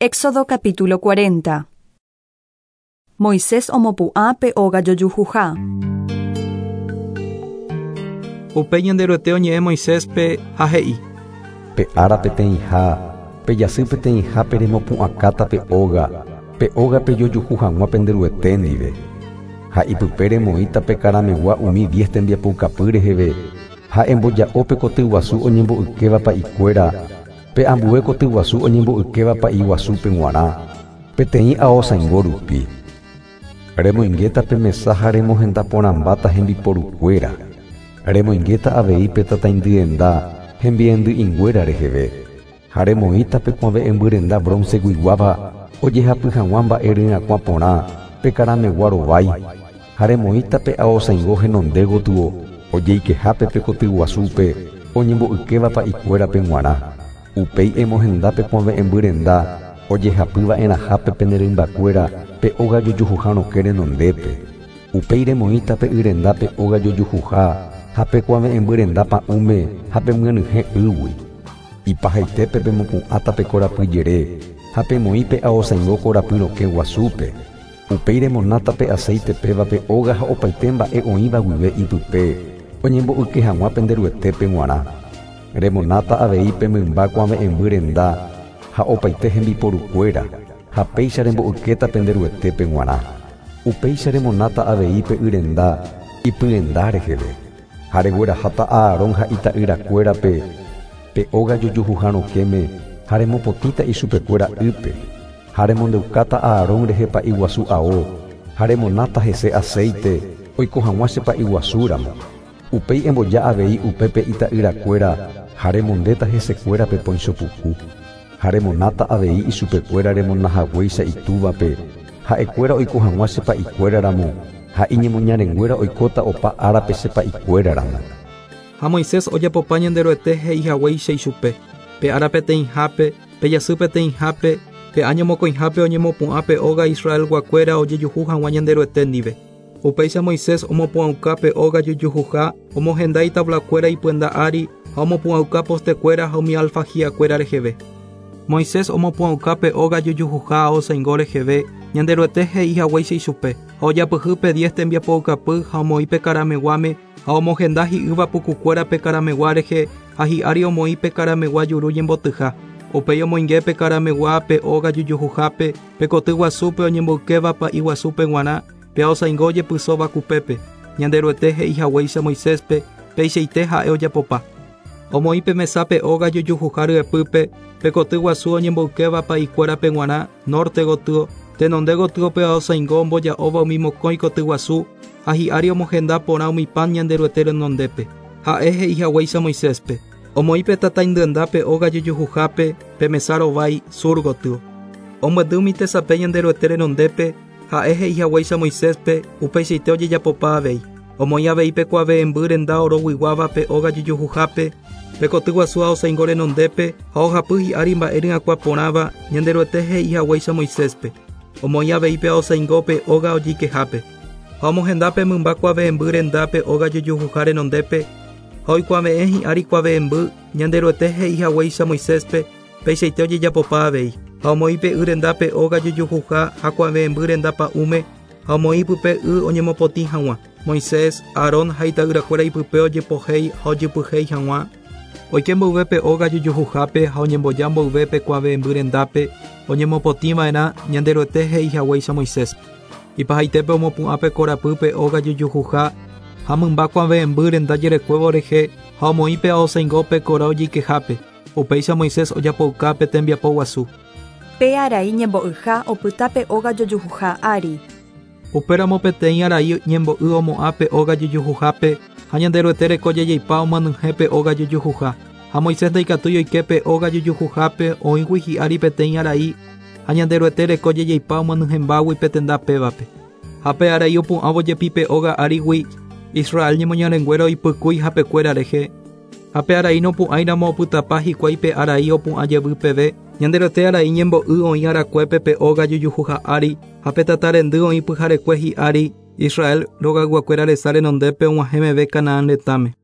Éxodo capítulo 40. Moisés omopu'ã pe óga jojuhuha. Upéi Ñanderuete oñe'ẽ Moiséspe ha he'i. Pe ára peteĩha, pe jasy peteĩhápe remopu'ãkáta pe óga, pe óga pejojuhu hag̃ua pende Ruete ndive. Ha ipype remoĩta pe karamegua umi diez tembiapoukapy reheve, ha emboja'o pe kotyguasu oñembo'ykéva pa'ikuéra, Pe ambue koty guasu oñembo'ykéva pa'i guasúpe g̃uarã, peteĩ aosãingo rupi. Remoingéta pe mesa ha remohenda porãmbáta hembiporukuéra. Remoingéta avei pe tataindyenda hembiendy'inguéra reheve, ha remoĩta pe kuave'ẽmby renda bronce-guiguáva ojehapy hag̃ua mba'e ryakuã porã pe karamegua rovái, ha remoĩta pe aosãingo henonde gotyo ojeikehápe pe koty guasúpe oñembo'ykéva pa'ikuérape g̃uarã. Upéi emohenda pe kuave'ẽmby renda ojehapy va'erãhápe pene rymbakuéra pe óga jojuhuha rokẽ renondépe. Upéi remoĩta pe y renda pe óga jojuhuha ha pe kuave'ẽmby renda pa'ũme ha pemyenyhẽ ýgui. Ipahaitépe pemopu'ãta pe korapy jere ha pemoĩ pe aosãingo korapy rokẽ guasúpe. Upéi remonáta pe aséite péva pe óga ha opaite mba'e oĩva guive ipype, oñembo'yke hag̃ua pende Ruetépe g̃uarã. Remonáta avei pe mymba kuave'ẽmby renda ha opaite hembiporukuéra, ha péicha rembo'ykéta pende Ruetépe g̃uarã. Upéicha remonáta avei pe y renda ipyenda reheve, ha regueraháta Aarón ha ita'yrakuérape pe óga jojuhuha rokẽme ha remopotĩta ichupekuéra ýpe. Ha remondeukáta Aarón rehe pa'i guasu ao, ha remonáta hese aséite, oiko hag̃ua che pa'i guasu ramo. Upéi emboja avei upépe ita'yrakuéra ha remondéta hesekuéra pe põicho puku. Ha remonáta avei ichupekuéra remona haguéicha itúvape, ha'ekuéra oiko hag̃ua che pa'ikuéra ramo, ha iñemoñarenguéra oikóta opa árape che pa'ikuéra ramo. Ha Moisés ojapopa Ñanderuete he'i haguéicha ichupe, pe ára peteĩhápe, pe jasy peteĩhápe, pe áño mokõihápe oñemopu'ã pe óga Israelguakuéra ojejuhu hag̃ua Ñanderuete ndive. Upéicha Moisés omopu'ãuka pe óga jojuhuha, omohenda itablakuéra ipyenda ári ha omopu'ãuka postekuéra ha umi alfajíakuéra reheve. Moisés omopu'ãuka pe óga jojuhuha aosãingo reheve, Ñanderuete he'i haguéicha ichupe, ha ojapyhy pe diez tembiapoukapy ha omoĩ pe karameguáme ha omohenda hi'ýva pukukuéra pe karamegua rehe ha hi'ári omoĩ pe karamegua juru ñembotyha. Upéi omoinge pe karamegua pe óga jojuhuhápe, pe koty guasúpe oñemboykéva pa'i guasúpe g̃uarã, pe aosãingo ojepysóva kupépe. Ñanderuete he'i haguéicha Moiséspe, peichaite ha'e ojapopa. Omoĩ pe mesa pe óga jojuhuha ryepýpe, pe koty guasu oñemboykéva pa'ikuérape g̃uarã, norte gotyo, tenonde gotyo pe aosãingo omboja'óva umi mokõi koty guasu, ha hi'ári omohenda porã umi pan Ñanderuete renondépe. Ha'e he'i haguéicha Moiséspe. Omoĩ pe tataindyenda pe óga jojuhuhápe, pe mesa rovái, sur gotyo. Omyendy umi tesape Ñanderuete renondépe, ha'e he'i haguéicha Moiséspe, upeichaite ojejapopa avei. Omoĩ avei pe kuave'ẽmby renda oroguiguáva pe óga jojuhuhápe, pe koty guasu aosãingo renondépe ha ohapy hi'ári mba'e ryakuã porãva Ñanderuete he'i haguéicha Moiséspe. Omoĩ avei pe aosãingo pe óga ojeikehápe. Ha omohenda pe mymba kuave'ẽmby renda pe óga jojuhuha renondépe, ha oikuave'ẽ hi'ári kuave'ẽmby Ñanderuete he'i haguéicha Moiséspe, peichaite ojejapopa avei. Ha omoĩ pe y renda pe óga jojuhuha ha kuave'ẽmby renda pa'ũme, ha omoĩ pype y oñemopotĩ hag̃ua. Moisés, Aarón ha ita'yrakuéra ipype ojepohéi ha ojepyhéi hag̃ua. Oike mboyve pe óga jojuhuhápe ha oñemboja mboyve pe kuave'ẽmby rendápe, oñemopotĩ va'erã Ñanderuete he'i haguéicha Moisés. Ipahaitépe omopu'ã pe korapy pe óga jojuhuha ha mymba kuave'ẽmby renda jerekuévo rehe ha omoĩ pe aosãingo pe kora ojeikehápe. Upéicha Moisés ojapouka pe tembiapo guasu. Pe arai ñembo'yha opyta pe óga jojuhuha ári. Upéramo peteĩ arai ñembo'y omo'ã pe óga jojuhuhápe ha Ñanderuete reko jajeipa omyenyhẽ pe óga jojuhuha. Ha Moisés ndaikatúi oike pe óga jojuhuhápe oĩgui hi'ári peteĩ arai ha Ñanderuete reko jajeipa omyenyhẽmbágui pe tenda pévape. Ha pe arai opu'ãvo jepi pe óga árigui Israel ñemoñarenguéra oipykúi hapekuéra rehe. Ha pe arai nopu'ãiramo opytapa hikuái pe arai opu'ã jevy peve, Ñanderuete arai ñembo'y oĩ arakuépe pe óga jojuhuha ári ha pe tata rendy oĩ pyharekue hi'ári Israel rogayguakuéra resa renondépe og̃uahẽ meve Canaán retãme.